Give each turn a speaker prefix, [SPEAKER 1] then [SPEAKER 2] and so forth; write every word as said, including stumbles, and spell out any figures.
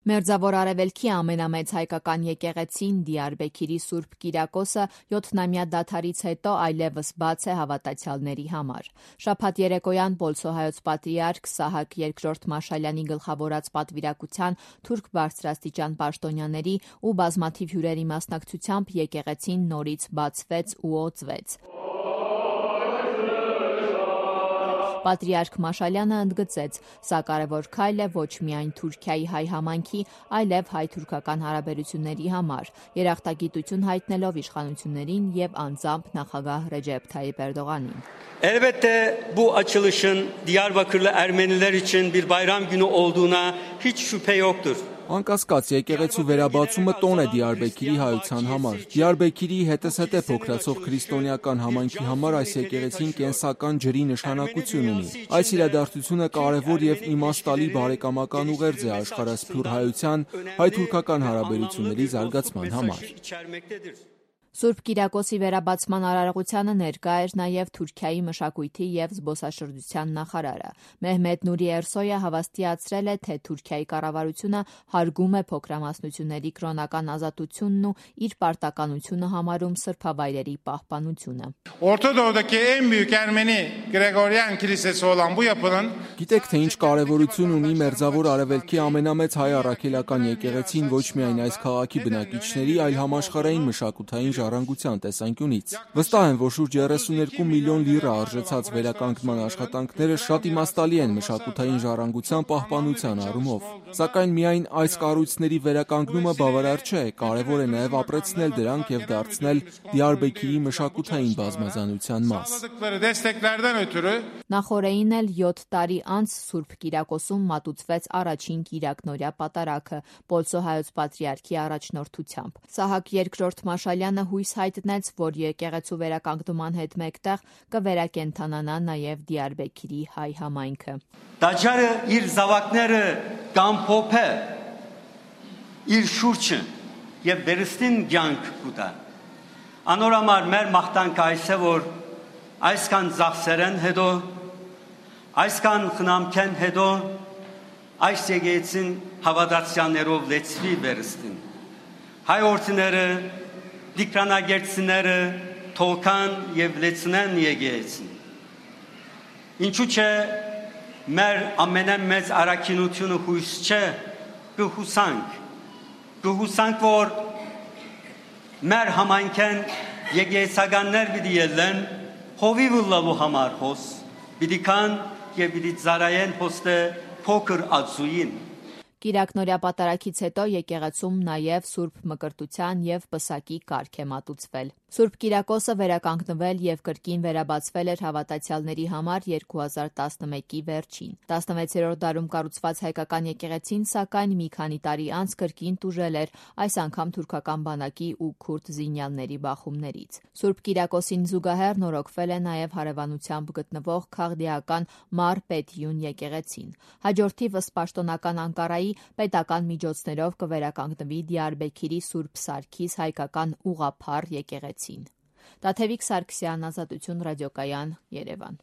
[SPEAKER 1] Մերձավոր Արևելքի ամենամեծ հայկական եկեղեցին Դիարբեքիրի Սուրբ Կիրակոսը յոթնամյա դադարից հետո այլևս բաց է հավատացյալների համար։ Շաբաթ երեկոյան Պոլսոհայոց պատրիարք Սահակ երկրորդ Մաշալյանի գլխավորած պատվիրակության թուրք բարձրաստիճան պաշտոնյաների ու բազմաթիվ հյուրերի մասնակցությամբ եկեղեցին նորից բացվեց ու օծվեց։ Պատրիարք Մաշալյանը ընդգծեց, սա կարևոր քայլ է ոչ միայն Թուրքիայի հայ համայնքի, այլև հայ-թուրքական հարաբերությունների համար, երախտագիտություն haytnելով իշխանություններին եւ անձամբ նախագահ Recep Tayyip Erdoğan'ին։
[SPEAKER 2] Elbette bu açılışın Diyarbakırlı Ermeniler için bir bayram günü olduğuna hiç şüphe yoktur.
[SPEAKER 3] Անկասկած եկեղեցու վերաբացումը տոն է Դիարբեքիրի հայության համար։ Դիարբեքիրի հետզհետե փոքրացող քրիստոնեական համայնքի համար այս եկեղեցին կենսական ջրի նշանակություն ունի։ Այս իրադարձությունը կարևոր եւ իմաստալի բարեկամական ուղերձ է աշխարհասփյուռ հայության հայ-թուրքական հարաբերությունների զարգացման համար։
[SPEAKER 1] Սուրբ Կիրակոսի վերաբացման արարողությանը ներկա էր նաև Թուրքիայի մշակույթի եւ զբոսաշրջության նախարարը։ Մեհմեդ Նուրի Էրսոյը հավաստիացրել է, թե Թուրքիայի կառավարությունը հարգում է փոքրամասնությունների կրոնական ազատությունն ու իր պարտականությունը համարում սրբավայրերի պահպանությունը։
[SPEAKER 4] Ortadoğu'daki en büyük Ermeni Gregorian Kilisesi olan bu yapının
[SPEAKER 3] Գիտեք, թե ինչ կարևորություն ունի Մերձավոր Արևելքի ամենամեծ հայ առաքելական եկեղեցին ոչ միայն այս քաղաքի բնակիչների, այլ համաշխարհային մշակութային ժառանգության տեսանկյունից։ Վստահ եմ, որ շուրջ երեսուներկու միլիոն լիրա արժեցած վերականգնման աշխատանքները շատ իմաստալի են մշակութային ժառանգության պահպանության առումով։ Սակայն միայն այս կառույցների վերականգնումը բավարար չէ, կարևոր է նաև ապրեցնել դրանք եւ դարձնել Դիարբեքիրի մշակութային բազմազանության մաս։
[SPEAKER 1] Նախորդին էլ յոթ տարի անց Սուրբ Կիրակոսում մատուցվեց առաջին Կիրակնօրյա պատարագը Պոլսոհայոց պատրիարքի առաջնորդությամբ։ Սահակ երկրորդ Մաշալյանը հույս հայտնեց, որ եկեղեցու վերականգնման հետ մեկտեղ կվերակենդանանա նաև Դիարբեքիրի հայ համայնքը։
[SPEAKER 2] Տաճարը իր զավակները կամփոփե իր շուրջը եւ վերստին կյանք կուտա։ Անորամար մեր մաղթանքը այս է, որ այսքան ծախսերեն հետո, այսքան խնամքեն հետո այս եկեղեցին հավատացյալներով լեցվի վերստին։ Հայ օրցիները, դիկրանագերցիները թողքան եւ լեցնեն եկեղեցին։ Ինչու՞ չէ մեր ամենամեծ առաքինությունը հույս չէ, կհուսանք, կհուսանք, որ մեր համայնքեն եկեղեցականներ պիտի ելեն հովիվ լալու համար հոս, պիտի կան եւ պիտի ծարայեն հոստը փոքր ածուին։
[SPEAKER 1] Կիրակնօրյա պատարագից հետո եկեղեցում նաև Սուրբ Մկրտության եւ Պսակի կարգ է մատուցվել։ Սուրբ Կիրակոսը վերականգնվել եւ կրկին վերաբացվել էր հավատացյալների համար երկու հազար տասնմեկի վերջին։ տասնվեցերորդ դարում կառուցված հայկական եկեղեցին, սակայն մի քանի տարի անց կրկին տուժել էր, այս անգամ թուրքական բանակի ու քուրդ զինյալների բախումներից։ Սուրբ Կիրակոսին զուգահեռ նորոգվել է նաև հարևանությամբ գտնվող քաղդիական Մար Պետիուն եկեղեցին։ Հաջորդիվս պաշտոնական Անկարայի պետական միջոցներով կվերականգնվի Դիարբեքիրի Սուրբ Սարգիս հայկական ուղղափառ եկեղեցին։ Տաթևիկ Սարգսյան, Ազատություն ռադիոկայան, Երևան։